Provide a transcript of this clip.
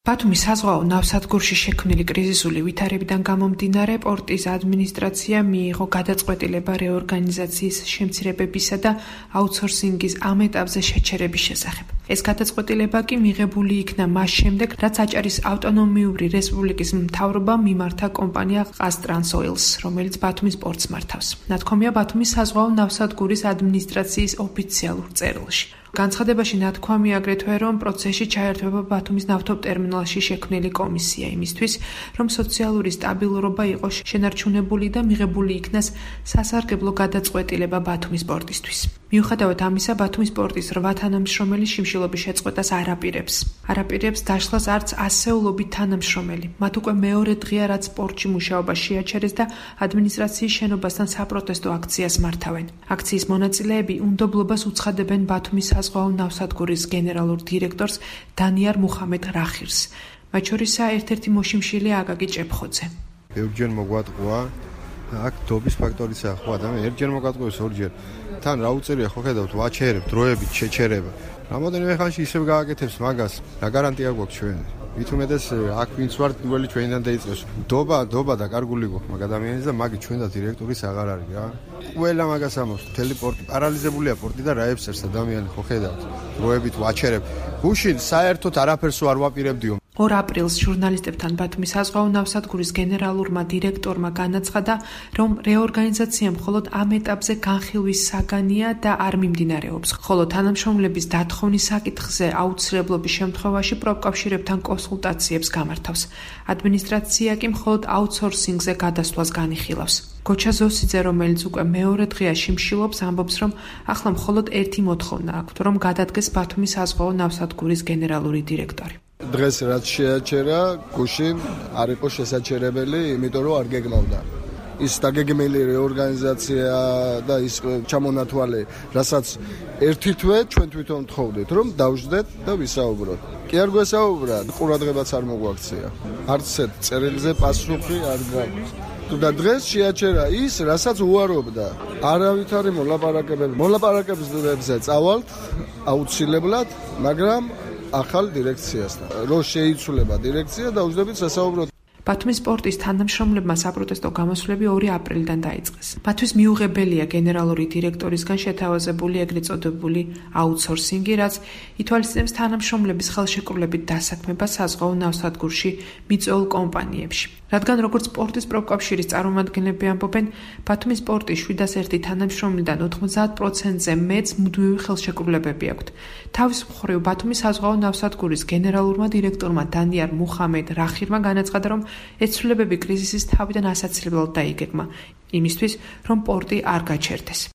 ბათუმის საზღვაო ნავსადგურში შექმნილი კრიზისული ვითარებიდან გამომდინარე პორტის ადმინისტრაცია მიიღო გადაწყვეტილება რეორგანიზაციის შემცირებებისა და აუთსორსინგის ამ ეტაპზე შეჩერების შესახებ. ეს გადაწყვეტილება კი მიღებული იქნა მას შემდეგ, რაც აჭარის ავტონომიური რესპუბლიკის მთავრობამ მიმართა კომპანია ყაზტრანსოილს, რომელიც ბათუმის პორტს მართავს. ნათქვამია ბათუმის საზღვაო ნავსადგურის ადმინისტრაციის ოფიციალურ წერილში. განცხადებაში ნათქვამია აგრეთვე, რომ პროცესში ჩაერთვება ბათუმის ნავთობტერმინალში შექმნილი კომისია იმისთვის, რომ სოციალური სტაბილურობა იყოს შენარჩუნებული და მიღებული იქნას სასარგებლო გადაწყვეტილება ბათუმის პორტისთვის. მიუხედავად ამისა, ბათუმის პორტის 8 თანამშრომელი შიმშილობის შეწყვეტას არ აპირებს დაშლას არც ასეულობით თანამშრომელი. მათ უკვე მეორე დღეა, რაც პორტში მუშაობა შეაჩერეს და ადმინისტრაციის შენობასთან საპროტესტო აქციას მართავენ. აქციის მონაწილეები უნდობლობას უცხადებენ ბათუმის საზღვაო ნავსადგურის გენერალურ დირექტორს დანიარ მუხამედ რახირს. მათ შორისაა ერთ-ერთი მოშიმშილი აკაკი ჭეფხოძე. ბევრჯერ მოგვატყუა აქ დობის ფაქტორიც ახლა ადამიანი ერთჯერ მოგვატყუეს ორჯერ. თან რა უწერია ხო ხედავთ ვაჩერებ დროებით შეჩერება. რამოდენიმე ხანში ისევ გააკეთებს მაგას. რა გარანტია გვაქვს ჩვენ? მით უმეტეს აქ ვინც ვარ პირველი ჩვენიდან დაიწყეს. დობა და კარგული გვაქვს მაგ ადამიანის და მაგით ჩვენ და დირექტორის აღარ არის რა. ყველა მაგას ამბობს. მთელი პორტი პარალიზებულია პორტი და რა ებსერს ადამიანი ხო ხედავთ. დროებით ვაჩერებ. გუშინ საერთოდ არაფერს არ ვაპირებდიო. 2 აპრილს ჟურნალისტებთან ბათუმის საზღვაო ნავსადგურის გენერალურმა დირექტორმა განაცხადა, რომ რეორგანიზაცია მხოლოდ ამ ეტაპზე განხილვის საგანია და არ მიმდინარეობს, ხოლო თანამშრომლების დათხოვნის საკითხზე აუცილებლობის შემთხვევაში პროფკავშირებთან კონსულტაციებს გამართავს. ადმინისტრაცია კი მხოლოდ აუთსორსინგზე გადასვლას განიხილავს. გოჩა ზოსიძე, რომელიც უკვე მეორე დღეა შიმშილობს, ამბობს, რომ ახლა მხოლოდ ერთი მოთხოვნა აქვთ, რომ გადადგეს ბათუმის საზღვაო ნავსადგურის გენერალური დირექტორი. დღეს რაც შეაჩერა, გუშინ არ იყო შესაჩერებელი, იმიტომ რომ არ გეგმავდა. ის დაგეგმილი რეორგანიზაცია და ის ჩამონათვალე, რასაც ერთი თვე ჩვენ თვითონ თხოვდით, რომ დავждეთ და ვისაუბროთ. კი არ გვესაუბრა, ყურადღებაც არ მოგვაქცია. არც ერთ წერილზე პასუხი არ გაქვს. და დღეს შეაჩერა ის, რასაც უარობდა. არავითარი მოლაპარაკებებზე წავალთ აუცილებლად, მაგრამ ახალ დირექციასთან. რო შეიცვლება დირექცია, დავждებით სასაუბროთ. ბათუმის პორტის თანამშრომლებმა საპროტესტო გამოსვლები 2 აპრილიდან დაიწყეს. მათთვის მიუღებელია გენერალური დირექტორისგან შეთავაზებული ეგრეთ წოდებული აუთსორსინგი, რაც ითვალისწინებს თანამშრომლების ხელშეკრულებით დასაქმებას საზღვაო ნავსადგურში მიწვეულ კომპანიებში. რადგან როგორც პორტის პროფკავშირის წარმომადგენლები ამბობენ, ბათუმის პორტის 701 თანამშრომლიდან 90%-ზე მეტს მუდმივი ხელშეკრულებები აქვთ. თავის მხრივ ბათუმის საზღვაო ნავსადგურის გენერალურმა დირექტორმა დანიარ მუხამედ რახირმა განაცხადა, რომ ეს ცვლილებები კრიზისის თავიდან ასაცილებლად დაიგეგმა, იმისთვის, რომ პორტი არ გაჩერდეს.